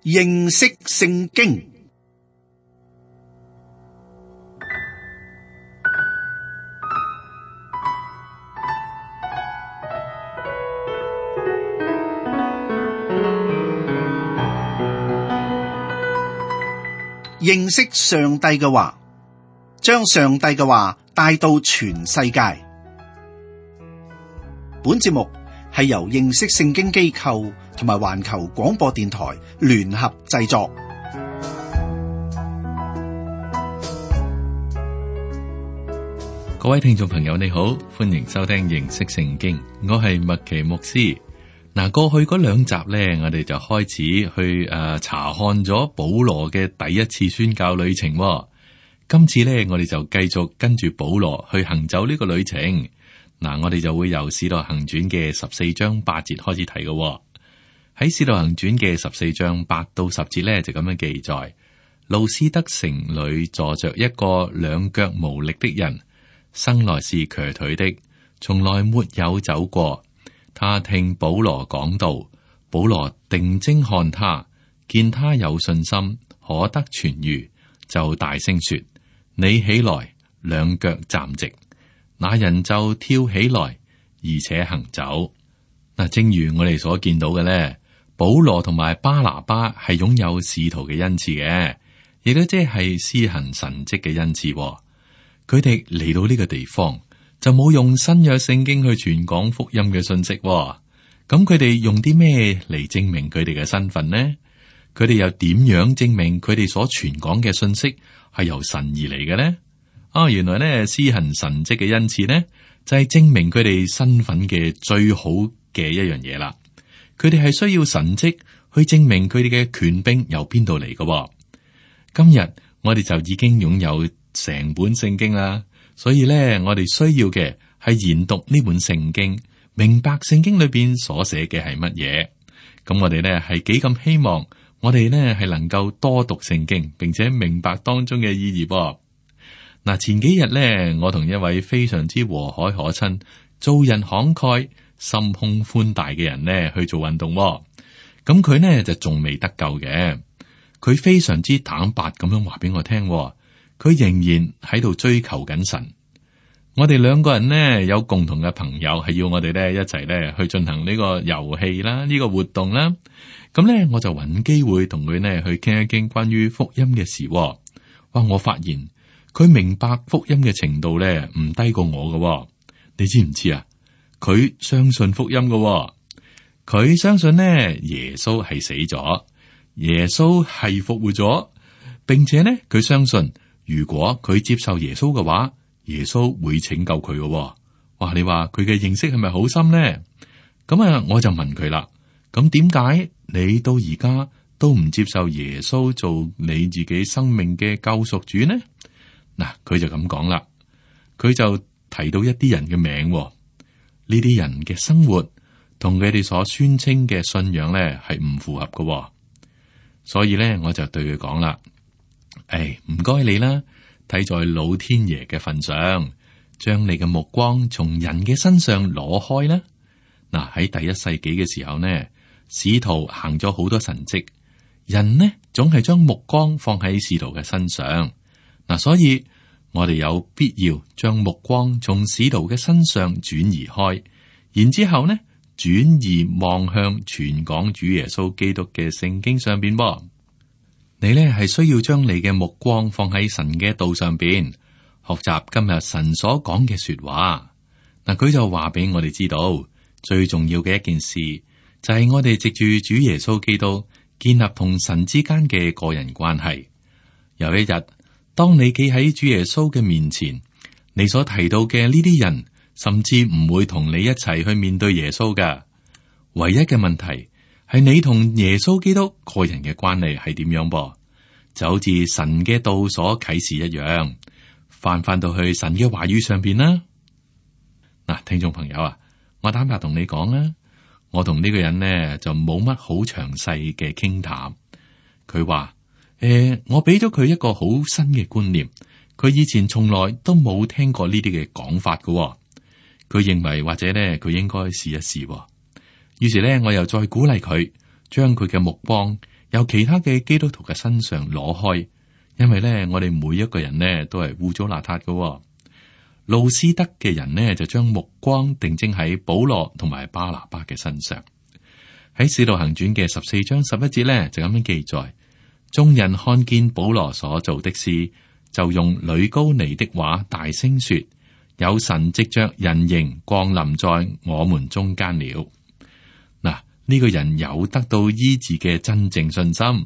認識聖經。認識上帝嘅話，將上帝嘅話帶到全世界。本節目係由認識聖經機構同埋環球廣播電台聯合製作。各位聽眾朋友，你好，歡迎收聽認識聖經，我係麥奇牧師。嗱，過去嗰兩集呢，我哋就開始去查看咗保羅嘅第一次宣教旅程。今次呢，我哋就繼續跟住保羅去行走呢個旅程。嗱，我哋就會由使徒行傳嘅14章8節開始睇嘅。喺使徒行傳嘅14章8到10節呢，就咁樣記載：路斯德城裏坐着一個兩腳無力的人，生來是瘸腿的，從來沒有走過。他聽保羅講道，保羅定睛看他，見他有信心，可得痊癒，就大聲說：你起來，兩腳站直。那人就跳起來，而且行走。嗱，正如我哋所見到嘅咧，保羅同埋巴拿巴係擁有使徒嘅恩賜嘅，亦都即係施行神蹟嘅恩賜。佢哋嚟到呢個地方，就冇用新約聖經去傳講福音嘅信息。咁佢哋用啲咩嚟證明佢哋嘅身份呢？佢哋又點樣證明佢哋所傳講嘅信息係由神而嚟嘅呢？原來咧，施行神蹟嘅恩賜呢，就係證明佢哋身份嘅最好嘅一樣嘢啦。佢哋係需要神蹟去證明佢哋嘅權柄由邊度嚟嘅。今日我哋就已經擁有成本聖經啦。所以咧，我哋需要嘅係研讀呢本聖經，明白聖經裏邊所寫嘅係乜嘢。咁我哋咧係幾咁希望，我哋咧係能夠多讀聖經，並且明白當中嘅意義。嗱，前幾日咧，我同一位非常之和藹可親、做人慷慨、心胸寬大嘅人咧去做運動。咁佢呢就仲未得救嘅，佢非常之坦白咁樣話俾我聽。佢仍然喺度追求緊神。我哋兩個人呢，有共同嘅朋友，係要我哋咧一齊咧去進行呢個遊戲啦，呢個活動啦。咁咧我就揾機會同佢呢去傾一傾關於福音嘅事。哇！我發現佢明白福音嘅程度咧唔低過我嘅。你知唔知啊？佢相信福音嘅。佢相信呢耶穌係死咗，耶穌係復活咗，並且呢佢相信，如果佢接受耶穌嘅話，耶穌會拯救佢嘅。哇！你話佢嘅認識係咪好深呢？咁我就問佢啦。咁點解你到而家都唔接受耶穌做你自己生命嘅救贖主呢？嗱，佢就咁講啦。佢就提到一啲人嘅名，呢啲人嘅生活同佢哋所宣稱嘅信仰咧係唔符合嘅。所以咧，我就對佢講啦。唔該你啦，睇在老天爺嘅份上，將你嘅目光從人嘅身上攞開啦。嗱，喺第一世紀嘅時候呢，使徒行咗好多神蹟，人呢總係將目光放喺使徒嘅身上。嗱，所以我哋有必要將目光從使徒嘅身上轉移開，然之後呢轉移望向傳講主耶穌基督嘅聖經上邊噃。你呢係需要將你嘅目光放喺神嘅道上邊，學習今日神所講嘅說話。嗱，佢就話俾我哋知道，最重要嘅一件事就係我哋藉住主耶穌基督建立同神之間嘅個人關係。有一日，當你企喺主耶穌嘅面前，你所提到嘅呢啲人，甚至唔會同你一齊去面對耶穌㗎。唯一嘅問題係你同耶穌基督個人嘅關係係點樣噃？就好似神嘅道所啟示一樣，翻到去神嘅話語上邊啦。嗱，聽眾朋友啊，我坦白同你講啦，我同呢個人呢就冇乜好詳細嘅傾談。佢話我俾咗佢一個好新嘅觀念，佢以前從來都冇聽過呢啲嘅講法㗎。佢認為或者呢，佢應該試一試。於是呢，我又再鼓勵佢，將佢嘅目光由其他嘅基督徒嘅身上攞開，因為咧我哋每一個人呢都係污糟邋遢嘅。路斯德嘅人呢就將目光定睛喺保羅同埋巴拿巴嘅身上。喺《使徒行傳》嘅14章11節咧就咁樣記載：眾人看見保羅所做的事，就用呂高尼的話大聲說：有神藉着人形降臨在我們中間了。嗱，呢個人有得到醫治嘅真正信心。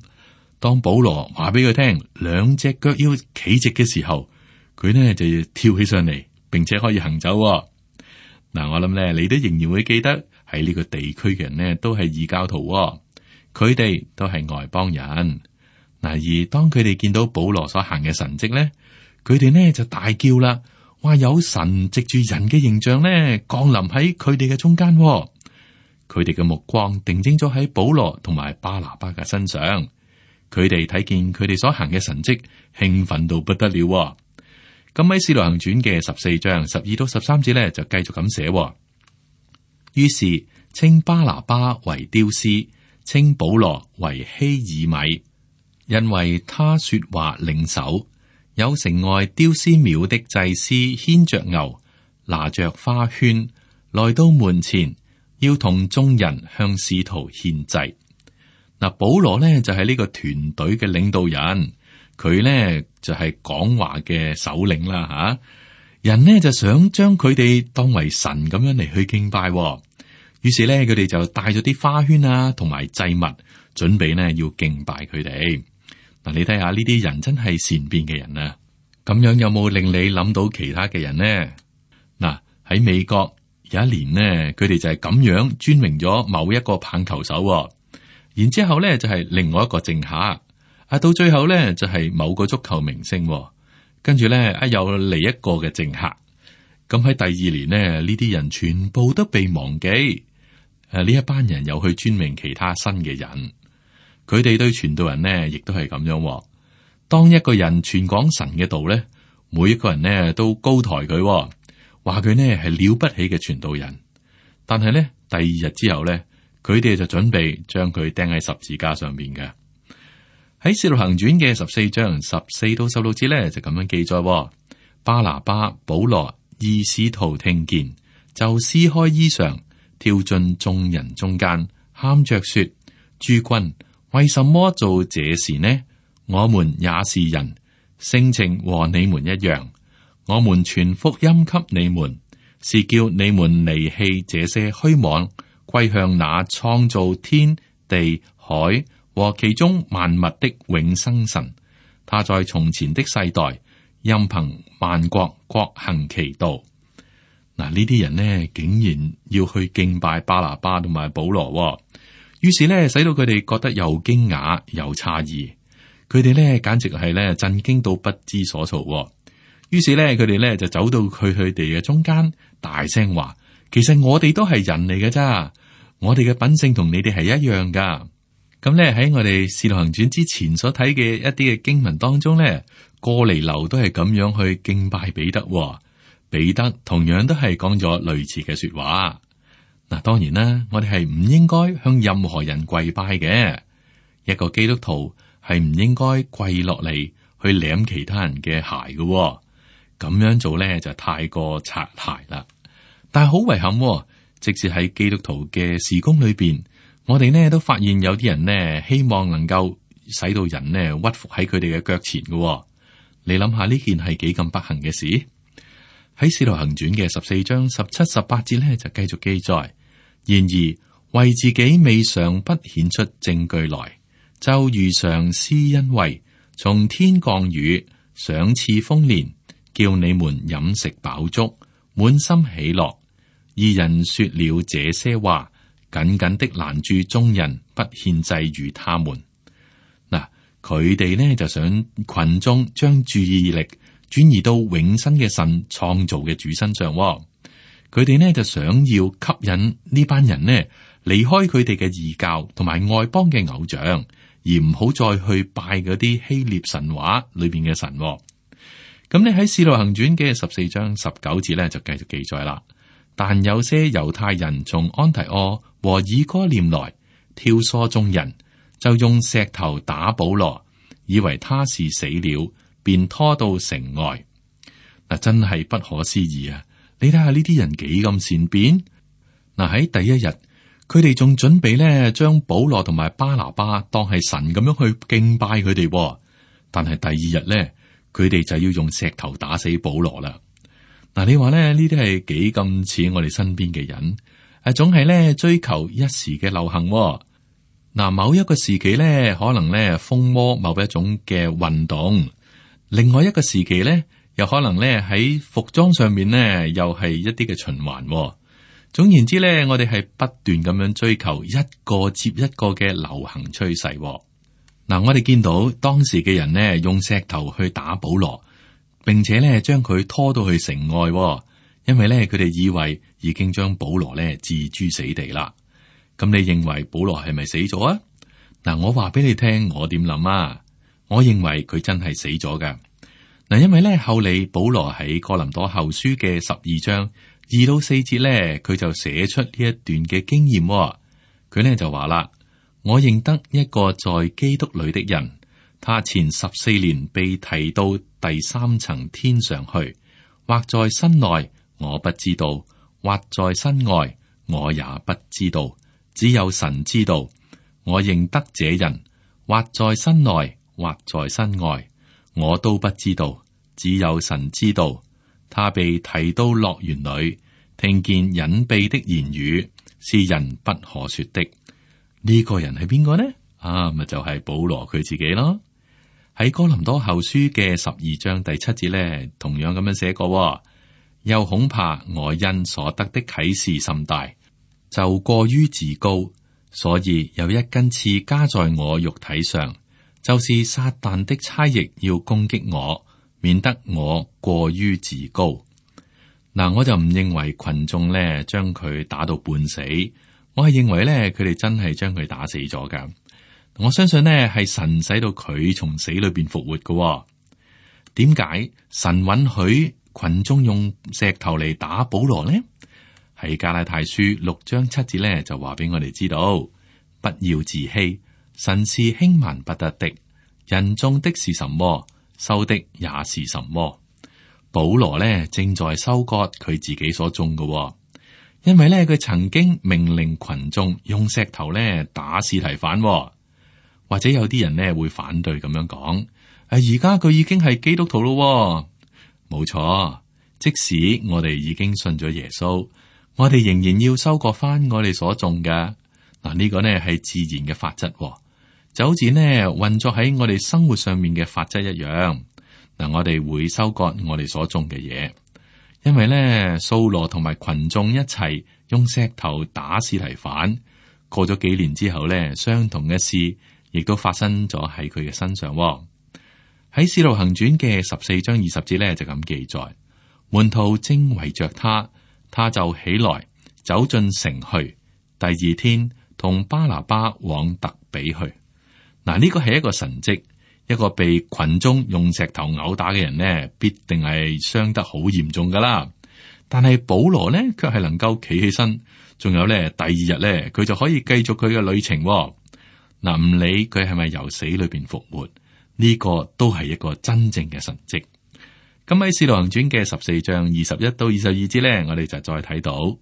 當保羅話俾佢聽兩隻腳要企直嘅時候，佢呢就要跳起上嚟，並且可以行走。嗱，我諗咧，你都仍然會記得喺呢個地區嘅人呢，都係異教徒，佢哋都係外邦人。嗱，而當佢哋見到保羅所行嘅神蹟咧，佢哋呢就大叫啦，話有神藉住人嘅形象咧降臨喺佢哋嘅中間。佢哋嘅目光定睛咗喺保羅同埋巴拿巴嘅身上，佢哋睇見佢哋所行嘅神蹟，興奮到不得了。咁喺《使徒行傳》嘅14章12到13節咧，就繼續咁寫。於是稱巴拿巴為丟斯，稱保羅為希爾米，因為他說話領首。有城外丟斯廟的祭司牽着牛，拿着花圈，來到門前，要同眾人向使徒獻祭。嗱，保羅呢就係呢個團隊嘅領導人，佢呢就係講話嘅首領啦吓。人呢就想將佢哋當為神咁樣嚟去敬拜，於是呢佢哋就帶咗啲花圈啊，同埋祭物，準備呢要敬拜佢哋。嗱，你睇下呢啲人真係善變嘅人啊！咁樣有冇令你諗到其他嘅人呢？嗱，喺美國有一年呢，佢哋就係咁樣尊榮咗某一個棒球手，然之後咧就係另外一個政客，到最後咧就係某個足球明星，跟住咧又嚟一個嘅政客。咁喺第二年呢，呢啲人全部都被忘記。呢一班人又去尊榮其他新嘅人。佢哋對傳道人呢，亦都係咁樣。當一個人傳講神嘅道咧，每一個人呢都高抬佢，話佢呢係了不起嘅傳道人。但係咧，第二日之後咧，佢哋就準備將佢釘喺十字架上面嘅。喺《使徒行傳》嘅14章14到16節咧，就咁樣記載：巴拿巴、保羅二使徒聽見，就撕開衣裳，跳進眾人中間，喊着說：諸君，為什麼做這事呢？我們也是人，性情和你們一樣。我們傳福音給你們，是叫你們離棄這些虛妄，歸向那創造天地海和其中萬物的永生神。他在從前的世代，任憑萬國各行其道。嗱，呢啲人呢，竟然要去敬拜巴拿巴同埋保羅，於是呢，使到佢哋覺得又驚訝又詫異。佢哋咧簡直係咧震驚到不知所措，於是咧佢哋咧就走到佢哋嘅中間，大聲話：其實我哋都係人嚟嘅咋，我哋嘅品性同你哋係一樣噶。咁咧喺我哋《使徒行傳》之前所睇嘅一啲嘅經文當中咧，哥尼流都係咁樣去敬拜彼得，彼得同樣都係講咗類似嘅說話。嗱，當然啦，我哋係唔應該向任何人跪拜嘅，一個基督徒係唔應該跪落嚟去舐其他人嘅鞋嘅，咁樣做咧就太過擦鞋啦。但係好遺憾，即使喺基督徒嘅事工裏邊，我哋呢都發現有啲人呢希望能夠使到人呢屈服喺佢哋嘅腳前嘅。你諗下呢件係幾咁不幸嘅事？喺《使徒行傳》嘅14章17、18節咧就繼續記載：然而為自己未嘗不顯出證據來，就如常施恩惠，從天降雨，賞賜豐年，叫你們飲食飽足，滿心喜樂。二人說了這些話，緊緊的攔住眾人，不獻祭與他們。嗱，佢哋呢就想群眾將注意力轉移到永生嘅神創造嘅主身上。佢哋呢就想要吸引呢班人呢離開佢哋嘅異教同埋外邦嘅偶像，而唔好再去拜嗰啲希臘神話裏邊嘅神。咁你喺《使徒行傳》嘅14章19節咧就繼續記載啦。但有些猶太人從安提阿和以哥念來，挑唆眾人，就用石頭打保羅，以為他是死了，便拖到城外。嗱，真係不可思議啊！你睇下呢啲人幾咁善變。嗱，喺第一日，佢哋仲準備咧將保羅同埋巴拿巴當係神咁樣去敬拜佢哋，但係第二日咧，佢哋就要用石頭打死保羅啦。嗱，你話咧呢啲係幾咁似我哋身邊嘅人？總係咧追求一時嘅流行。嗱，某一個時期咧，可能咧風靡某一種嘅運動，另外一個時期咧，又可能咧喺服裝上面咧，又係一啲嘅循環。總言之咧，我哋係不斷咁樣追求一個接一個嘅流行趨勢。嗱，我哋見到當時嘅人呢，用石頭去打保羅，並且咧將佢拖到去城外，因為咧佢哋以為已經將保羅咧置諸死地啦。咁你認為保羅係咪死咗啊？嗱，我話俾你聽，我點諗啊？我認為佢真係死咗噶。嗱，因為咧後嚟保羅喺哥林多後書嘅12章2到4節咧，佢就寫出呢一段嘅經驗。佢咧就話啦：我認得一個在基督裏的人，他前14年被提到第3層天上去，或在身內，我不知道；或在身外，我也不知道。只有神知道。我認得這人，或在身內，或在身外，我都不知道。只有神知道。他被提到樂園裏，聽見隱秘的言語，是人不可說的。呢個人係邊個呢？咪就係保羅佢自己咯。喺哥林多後書嘅12章第7節咧，同樣咁樣寫過。又恐怕我因所得的啟示甚大，就過於自高，所以有一根刺加在我肉體上，就是撒旦的差役要攻擊我，免得我過於自高。嗱，我就唔認為群眾咧將佢打到半死，我係認為咧佢哋真係將佢打死咗噶。我相信呢係神使到佢從死裏邊復活噶。點解神允許群眾用石頭嚟打保羅呢？喺加拉太書6章7節咧就話俾我哋知道，不要自欺，神是輕慢不得的。人種的是什麼，收的也是什麼。保羅呢正在收割佢自己所種嘅，因為呢佢曾經命令群眾用石頭呢打司提反。或者有啲人呢會反對咁樣講，而家佢已經係基督徒咯。冇錯，即使我哋已經信咗耶穌，我哋仍然要收割翻我哋所種嘅。嗱，呢個呢係自然嘅法則，就好似呢運作喺我哋生活上面嘅法則一樣。嗱，我哋會收割我哋所種嘅嘢，因為咧，掃羅同埋群眾一齊用石頭打司提反，過咗幾年之後咧，相同嘅事亦都發生咗喺佢嘅身上。喺使徒行傳嘅14章20節咧就咁記載，門徒正圍着他，他就起來走進城去，第二天同巴拿巴往特比去。嗱，呢個係一個神蹟。一個被群眾用石頭毆打嘅人呢，必定係傷得好嚴重噶啦。但係保羅呢，卻係能夠企起身，仲有呢，第二日呢，佢就可以繼續佢嘅旅程。嗱，唔理佢係咪由死裏邊復活，呢個都係一個真正嘅神蹟。咁喺《使徒行傳》嘅14章21到22節呢，我哋就再睇到，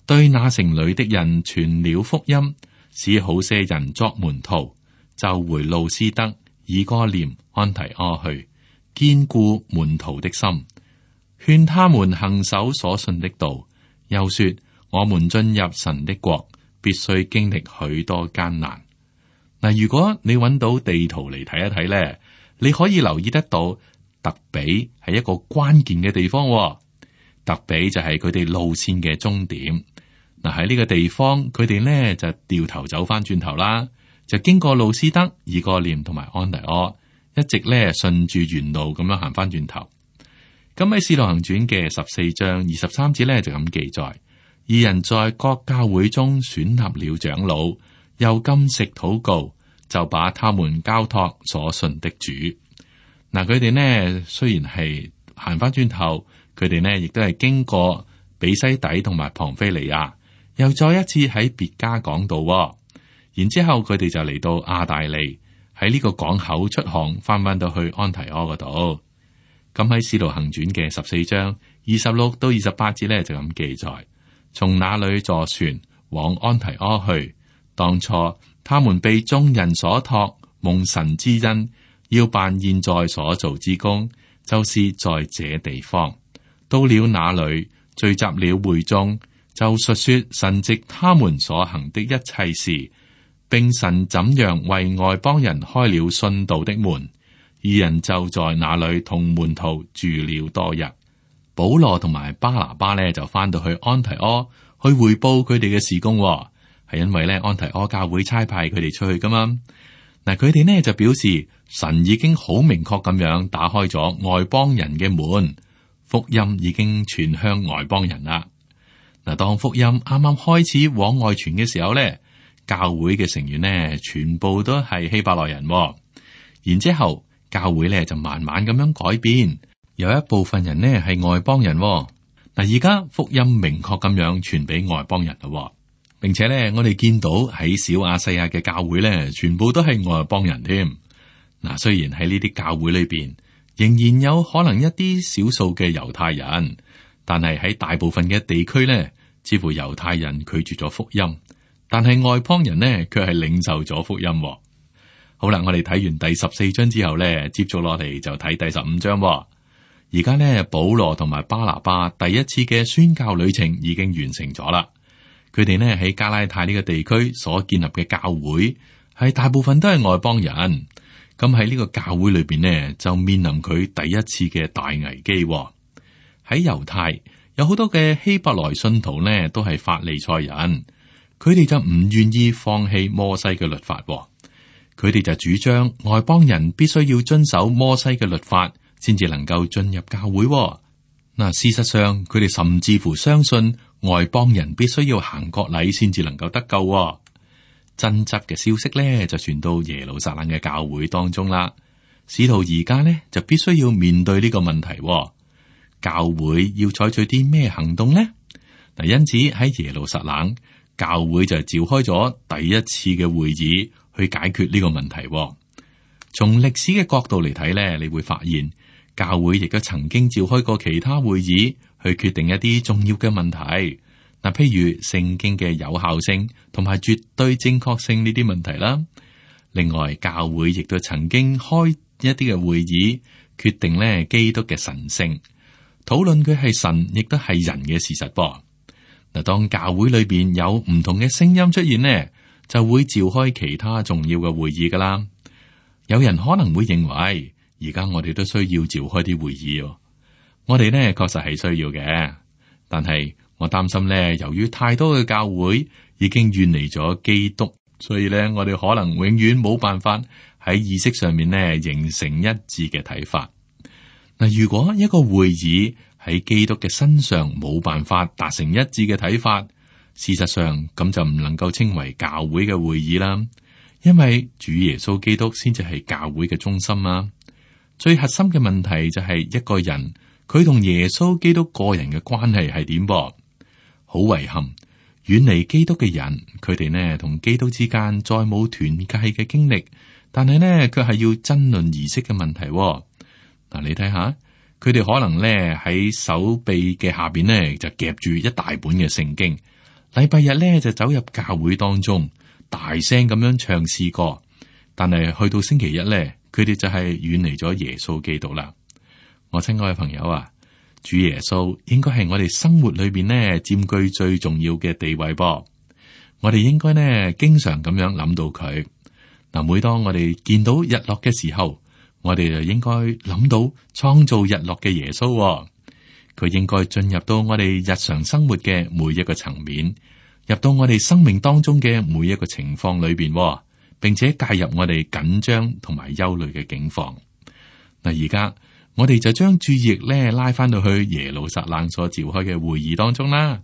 對那城裏的人傳了福音，使好些人作門徒，就回路斯德、以哥念、安提阿去，堅固門徒的心，勸他們行守所信的道。又說：我們進入神的國，必須經歷許多艱難。嗱，如果你揾到地圖嚟睇一睇咧，你可以留意得到特比係一個關鍵嘅地方。特比就係佢哋路線嘅終點。嗱，喺呢個地方，佢哋咧就掉頭走翻轉頭啦。就經過路斯德、以哥念同埋安提阿，一直咧順住原路咁樣行翻轉頭。咁喺《使徒行傳》嘅14章23節咧就咁記載：二人在各教會中選立了長老，又禁食禱告，就把他們交託所信的主。嗱，佢哋呢雖然係行翻轉頭，佢哋呢亦都係經過比西底同埋龐菲利亞，又再一次喺別家講道。然之後佢哋就嚟到亞大利，喺呢個港口出航，翻到去安提阿嗰度。咁喺使徒行傳嘅14章26到28節咧就咁記載，從那裏坐船往安提阿去。當初他們被眾人所託，蒙神之恩，要辦現在所做之工，就是在這地方。到了那裏，聚集了會眾，就述說神藉他們所行的一切事，並神怎樣為外邦人開了信道的門。二人就在那裏同門徒住了多日。保羅同埋巴拿巴呢，就翻到去安提阿去匯報佢哋嘅事工，係因為呢安提阿教會差派佢哋出去噶嘛。嗱，佢哋呢就表示神已經好明確咁樣打開咗外邦人嘅門，福音已經傳向外邦人啦。嗱，當福音啱啱開始往外傳嘅時候呢，教會嘅成員呢全部都係希伯來人，然之後教會呢就慢慢咁樣改變，有一部分人呢係外邦人。嗱，而家福音明確咁樣傳俾外邦人啦，並且呢，我哋見到喺小亞細亞嘅教會呢，全部都係外邦人添。嗱，雖然喺呢啲教會裏邊，仍然有可能一啲少數嘅猶太人，但係喺大部分嘅地區呢，似乎猶太人拒絕咗福音，但係外邦人呢，卻係領受咗福音。好啦，我哋睇完第14章之後呢，接續落嚟就睇第15章。而家呢，保羅同埋巴拿巴第一次嘅宣教旅程已經完成咗啦。佢哋呢喺加拉太呢個地區所建立嘅教會，係大部分都係外邦人。咁喺呢個教會裏邊呢，就面臨佢第一次嘅大危機。喺猶太有好多嘅希伯來信徒呢，都係法利賽人，佢哋就唔願意放棄摩西嘅律法。佢哋就主張外邦人必須要遵守摩西嘅律法，先至能夠進入教會。嗱，事實上佢哋甚至乎相信外邦人必須要行割禮先至能夠得救。爭執嘅消息咧就傳到耶路撒冷嘅教會當中啦。使徒而家咧就必須要面對呢個問題。教會要採取啲咩行動呢？嗱，因此喺耶路撒冷教會就召開咗第一次嘅會議去解決呢個問題。從歷史嘅角度嚟睇咧，你會發現教會亦都曾經召開過其他會議去決定一啲重要嘅問題。嗱，譬如聖經嘅有效性同埋絕對正確性呢啲問題啦。另外，教會亦都曾經開一啲嘅會議，決定咧基督嘅神性，討論佢係神亦都係人嘅事實噃。嗱，當教會裏邊有唔同嘅聲音出現呢，就會召開其他重要嘅會議噶啦。有人可能會認為，而家我哋都需要召開啲會議。我哋呢確實係需要嘅，但係我擔心呢，由於太多嘅教會已經遠離咗基督，所以呢，我哋可能永遠冇辦法喺意識上面呢形成一致嘅睇法。嗱，如果一個會議喺基督嘅身上冇辦法達成一致嘅睇法，事實上咁就唔能夠稱為教會嘅會議啦。因為主耶穌基督先至係教會嘅中心啊。最核心嘅問題就係一個人佢同耶穌基督個人嘅關係係點噃？好遺憾，遠離基督嘅人，佢哋呢同基督之間再冇團契嘅經歷，但係呢卻係要爭論儀式嘅問題。嗱，你睇下，佢哋可能呢喺手臂嘅下邊呢就夾住一大本嘅聖經，禮拜日呢就走入教會當中，大聲咁樣唱詩歌，但係去到星期一咧，佢哋就係遠離咗耶穌基督啦。我親愛嘅朋友啊，主耶穌應該係我哋生活裏邊呢佔據最重要嘅地位噃。我哋應該呢經常咁樣諗到佢。嗱，每當我哋見到日落嘅時候，我哋就應該諗到創造日落嘅耶穌。佢應該進入到我哋日常生活嘅每一個層面，入到我哋生命當中嘅每一個情況裏邊，並且介入我哋緊張同埋憂慮嘅境況。嗱，而家我哋就將注意力咧拉翻到去耶路撒冷所召開嘅會議當中啦。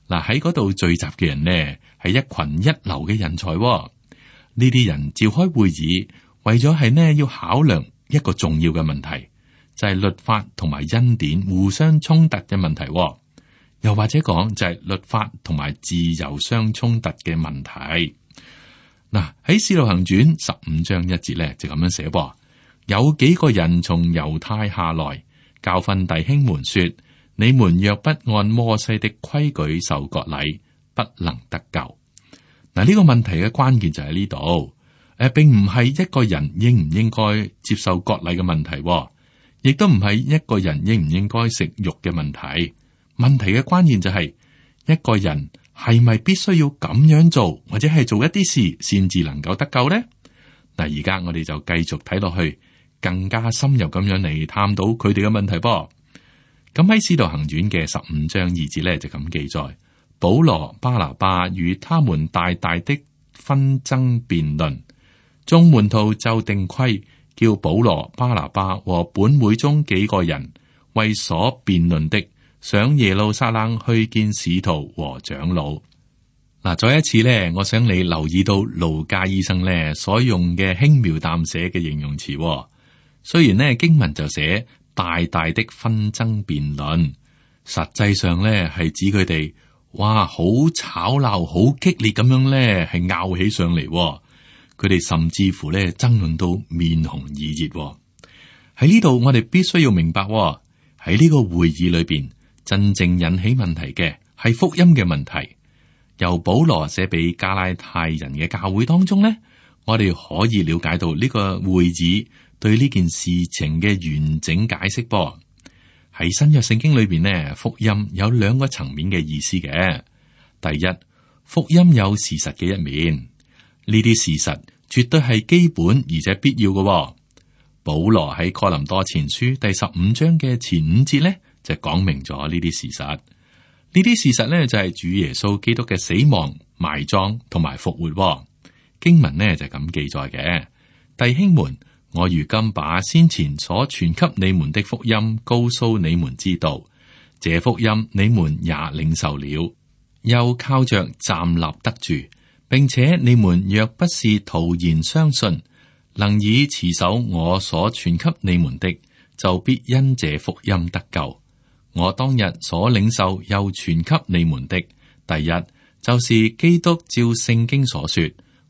嗱，喺嗰度聚集嘅人呢，係一群一流嘅人才。呢啲人召開會議，為咗係呢要考量一個重要嘅問題，就係律法同埋恩典互相衝突嘅問題。又或者講就係律法同埋自由相衝突嘅問題。嗱，喺使徒行傳15章1節咧就咁樣寫噃，有幾個人從猶太下來，教訓弟兄們說：你們若不按摩西的規矩受割禮，不能得救。嗱，呢個問題嘅關鍵就喺呢度，並唔係一個人應唔應該接受割禮嘅問題，亦都唔係一個人應唔應該食肉嘅問題。問題嘅關鍵就係一個人係咪必須要咁樣做，或者係做一啲事先至能夠得救呢？嗱，而家我哋就繼續睇落去，更加深入咁樣嚟探討佢哋嘅問題噃。咁喺《使徒行傳》嘅15章2節咧就咁記載：保羅、巴拿巴與他們大大的紛爭辯論，眾門徒就定規，叫保羅、巴拿巴和本會中幾個人為所辯論的，上耶路撒冷去見使徒和長老。嗱，再一次咧，我想你留意到路加醫生咧所用嘅輕描淡寫嘅形容詞。雖然呢經文就寫大大的紛爭辯論，實際上咧係指佢哋哇好吵鬧、好激烈咁樣咧係拗起上嚟。佢哋甚至乎咧爭論到面紅耳熱。喺呢度我哋必須要明白，喺呢個會議裏邊真正引起問題嘅係福音嘅問題。由保羅寫俾加拉太人嘅教會當中呢，我哋可以了解到呢個會議對呢件事情嘅完整解釋噃。喺新約聖經裏邊呢，福音有兩個層面嘅意思嘅。第一，福音有事實嘅一面，呢啲事實絕對係基本而且必要嘅。保羅喺哥林多前書第15章嘅前5節呢，就講明咗呢啲事實。呢啲事實呢，就係主耶穌基督嘅死亡、埋葬同埋復活。經文呢，就咁記載嘅。弟兄們，我如今把先前所傳給你們的福音告訴你們知道，這福音你們也領受了，又靠着站立得住，並且你們若不是徒然相信，能以持守我所傳給你們的，就必因這福音得救。我當日所領受又傳給你們的，第一就是基督照聖經所說，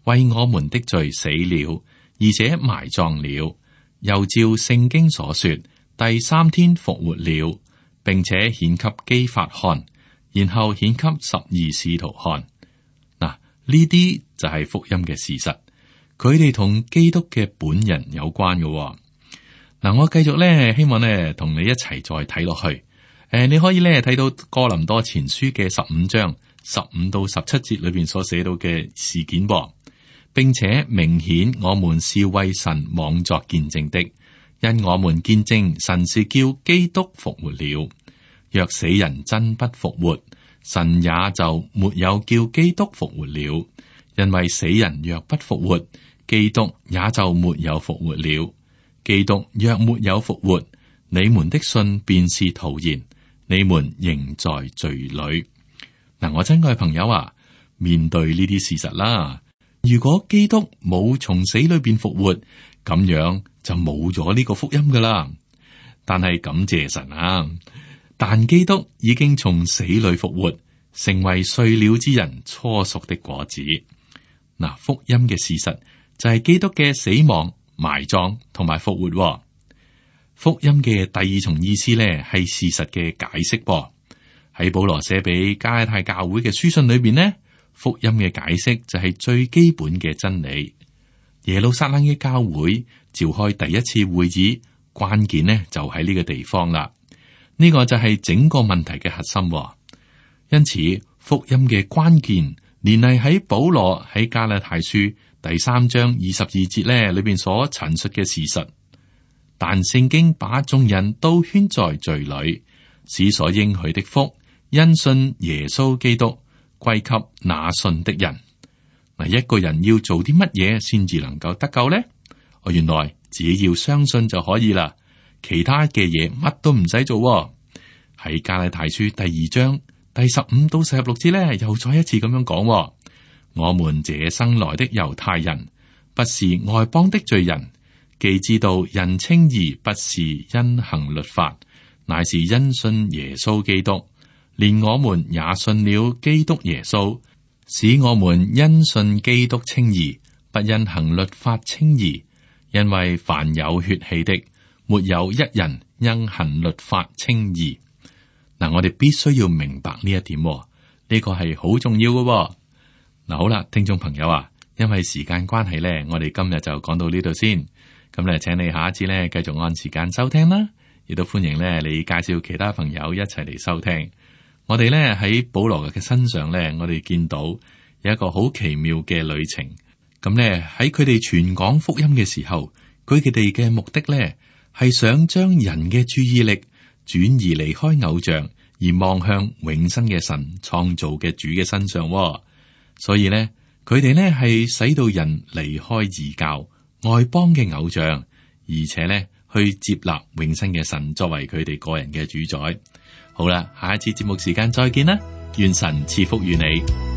為我們的罪死了，而且埋葬了，又照聖經所說，第3天復活了，並且顯給基法看，然後顯給12使徒看。嗱，呢啲就係福音嘅事實，佢哋同基督嘅本人有關嘅。嗱，我繼續咧，希望咧同你一齊再睇落去。你可以咧睇到哥林多前書嘅15章15到17節裏邊所寫到嘅事件噃，並且明顯我們是為神妄作見證的，因我們見證神是叫基督復活了。若死人真不復活，神也就沒有叫基督復活了。因為死人若不復活，基督也就沒有復活了。基督若沒有復活，你們的信便是徒然，你們仍在罪裏。嗱，我親愛朋友啊，面對呢啲事實啦，如果基督冇從死裏邊復活，咁樣就冇咗呢個福音噶啦。但係感謝神啊，但基督已經從死裏復活，成為睡了之人初熟的果子。嗱，福音嘅事實就係基督嘅死亡、埋葬同埋復活。福音嘅第二重意思咧，係事實嘅解釋噃。喺保羅寫俾加拉太教會嘅書信裏邊呢，福音嘅解釋就係最基本嘅真理。耶路撒冷嘅教會召開第一次會議，關鍵呢就喺呢個地方啦。呢個就係整個問題嘅核心。因此，福音嘅關鍵連繫喺保羅喺加拉太書第3章22節咧裏邊所陳述嘅事實。但聖經把眾人都圈在罪裏，使所應許的福因信耶穌基督歸給那信的人。嗱，一個人要做啲乜嘢先至能夠得救呢？原來只要相信就可以啦，其他嘅嘢乜都唔使做。喺加拉太書第2章第15到16節咧，又再一次咁樣講：我們這生來的猶太人，不是外邦的罪人。既知道人稱義不是因行律法，乃是因信耶穌基督，連我們也信了基督耶穌，使我們因信基督稱義，不因行律法稱義，因為凡有血氣的，沒有一人因行律法稱義。嗱，我哋必須要明白呢一點，呢個係好重要嘅。嗱，好啦，聽眾朋友啊，因為時間關係咧，我哋今日就講到呢度先。咁咧，請你下一次咧繼續按時間收聽啦，亦都歡迎咧你介紹其他朋友一齊嚟收聽。我哋咧喺保羅嘅身上咧，我哋見到有一個好奇妙嘅旅程。咁咧喺佢哋傳講福音嘅時候，佢哋嘅目的咧係想將人嘅注意力轉移離開偶像，而望向永生嘅神創造嘅主嘅身上。所以咧，佢哋咧係使到人離開異教外邦嘅偶像，而且咧去接納永生嘅神作為佢哋個人嘅主宰。好啦，下一次節目時間再見啦，願神賜福於你。